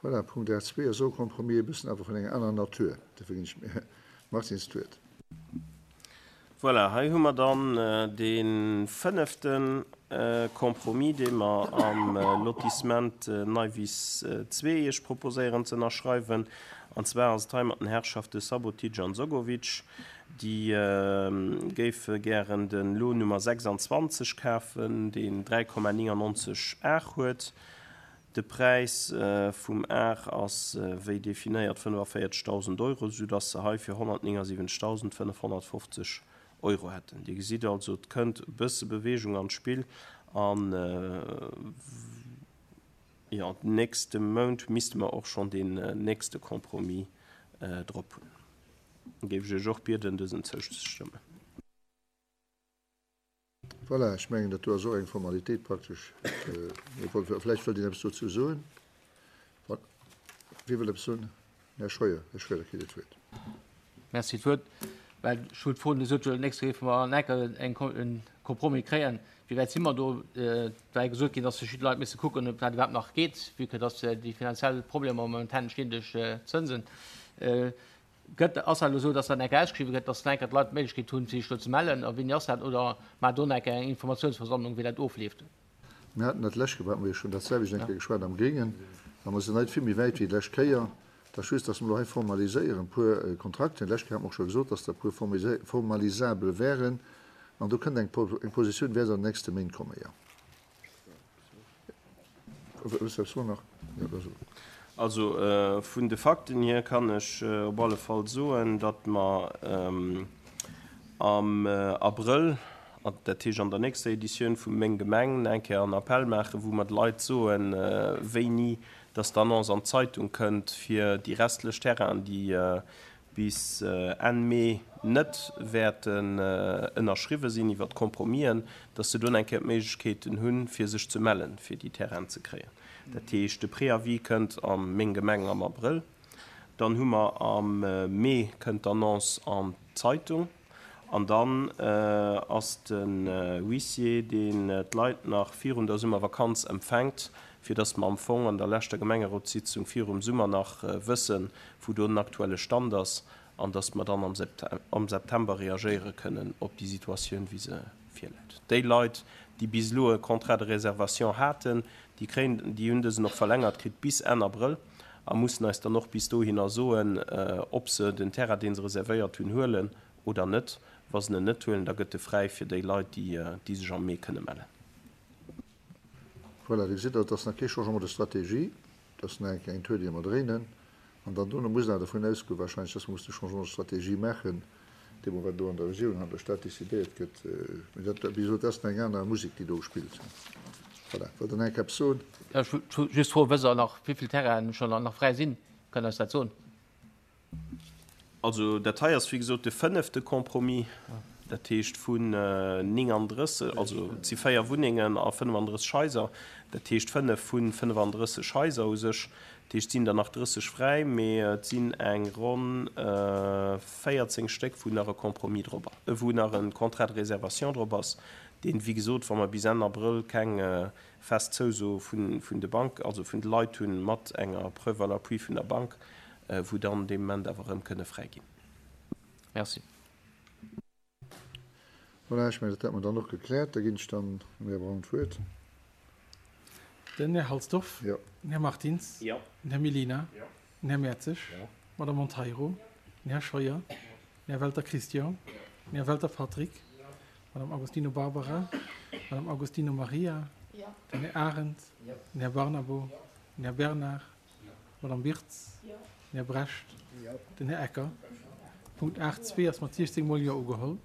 Voilà, Punkt 8.2 ass och e Compromis, e bëssen awer vun enger anerer Natur. Dofir ginn ech dem Här Martins d'Wuert. Voilà, hei hu mer dann dee fënnefte Compromis, dee mer am Lotissement Neiwiss 2 Iech proposéieren ze ënnerschreiwen. An zwar ass et hei mat den Herrschafte Sabotic an Sogovic. Déi géife gären de Lot Nummer 26 kafen, deen 3,99 Ar huet. De Präis vum Ar ass wéi definéiert 45.000 Euro, soudass se hei fir 179.550 Euro hätten. Dir gesitt also, et kënnt e bësse Beweegung an d'Spill an, jo, den nächste Mount misste mer och schonn deen nächste Compromis drop hunn. Géif ech Iech och bieden, dësen zouzestëmmen. Voilà, ech mengen, dat do ass och eng Formalitéit praktesch. Vläicht wëllt een eppes dozou soen. Wie wëll eppes soen? Här Scheuer, Här Schroeder kritt Dir d'Wuert. Merci fir d'Wuert. Well ech hunn d'Fro gesot, jo, d'nächst Kéier géife mer an enker e Compromis kréien. Wéi wäit si mer do? Et war jo gesot ginn, dass verschidde Leit misse kucken, ob dat iwwerhaapt nach geet, vue que dass déi finanziell Problemer momentan entstinn duerch d'Zënsen. Gëtt, ass dat elo esou, dass dat enker ausgeschriwwen gëtt, dass enker d'Leit d'Méiglechkeet hunn, fir sech do ze mellen? A wéini ass dat? Oder maacht do enker eng Informatiounsversammlung, wéi dat ofleeft? Mir haten dat d'lescht Kéier, haten mer jo schonn dat selwecht eng Kéier geschwat am Gréngen, a mer sinn hei vill méi wäit wéi d'lescht Kéier. Et ass just, dass mer elo hei formaliséieren e puer Kontrakten. D'lescht Kéier hat mer och scho gesot, dass der e puer formalisabel wären. An do kënnt eng Positioun, wäert an den nächste Méint kommen, jo. Also vun de Fakten hier kann ech op alle Fall soen, datt mer am Abrëll, dat heescht an der nächster Editioun vu Meng Gemeng, eng Kéier en Appell maachen, wou mer de Leit soen, wéini datt d'Annonce an d'Zeitung kënnt fir déi restlech Terrainen, déi bis Enn Mee net wäerten ënnerschriwwe sinn iwwert d'Compromisen, dass se dunn eng Kéier d'Méiglechkeeten hunn, fir sech ze mellen, fir déi Terrainen ze kréien. Dat heescht, de Préavis kënnt a Meng Gemeng am Abrëll, dann hu mer am Mee kënnt d'Annonce an d'Zeitung an dann ass den Huissier, deen d'Leit nach virun der Summervakanz empfänkt, fir dass mer am Fong an der leschter Gemengerotssitzung virum Summer nach wëssen, wou do den aktuelle Stand ass an dass mer dann am September reagéiere kënnen op déi Situatioun, wéi se virläit. Déi Leit, déi bis elo e Contrat de réservation haten, déi kréien, déi hunn dësen och verlängert kritt bis Enn Abrëll a mussen eis dann och bis dohinner soen, ob se den Terrain, dee se reservéiert hunn, huelen oder net. Wa se en net huelen, da gëtt e fräi fir déi Leit, déi sech am Mee kënne mellen. Voilà, Dir gesitt, et ass nach kee Changement de stratégie, et ass nach eng Tour, déi mer dréinen. An dann dono muss een awer dervun ausgoen wahrscheinlech, dass mer mussen e Changement de stratégie maachen, deemno wat elo an der Regierung an an der Stad décidéiert gëtt. Mee dat, wéi gesot, dat ass nach eng aner Musek, déi do gespillt gëtt. Voilà. Wëllt Der nach eng Kéier eppes soen? Ech wollt just froen, wësst Der nach, wéi vill Terrainen schonn nach fräi sinn? Kënnt Der eis dat soen? Also dat hei ass wéi gesot de fënnefte Compromis, dat heescht vun 39, also et si 4 Wunnengen a 35 Haiser, dat heescht 5 vu 35 Haiser u sech. Dat heescht et sinn der nach 30 fräi, mee et sinn eng ronn 14 Stéck wou nach e Compromis drop, wou nach e Contrat de réservation drop ass, deen wéi gesot, wa mer bis Enn Abrëll keng fest Zouso vun de Bank, also vun de Leit hunn, mat enger Preuve à l'appui vun der Bank, wou dann dee Moment awer erëm kënne fräi ginn. Merci. Voilà, ech mengen, dat hätte mer dann och gekläert. Da ginn ech dann dem Här Braun d'Wuert. Den Här Halsdorf. Jo. Den Här Martins. Jo. Den Här Mellina. Jo. Den Här Mertzig. Jo. D'Madame Monteiro. Den Här Scheuer. Den Här Welter Christian. Den Här Welter Patrick. D'Madame Agostino Barbara. D'Madame Agostino Maria. Den Här Arendt. Den Här Barnabo. Den Här Bernard. D'Madame Wirtz. Den Här Brecht. Den Här Ecker. Punkt 8, 2 ass mat 16 mol Jo ugeholl.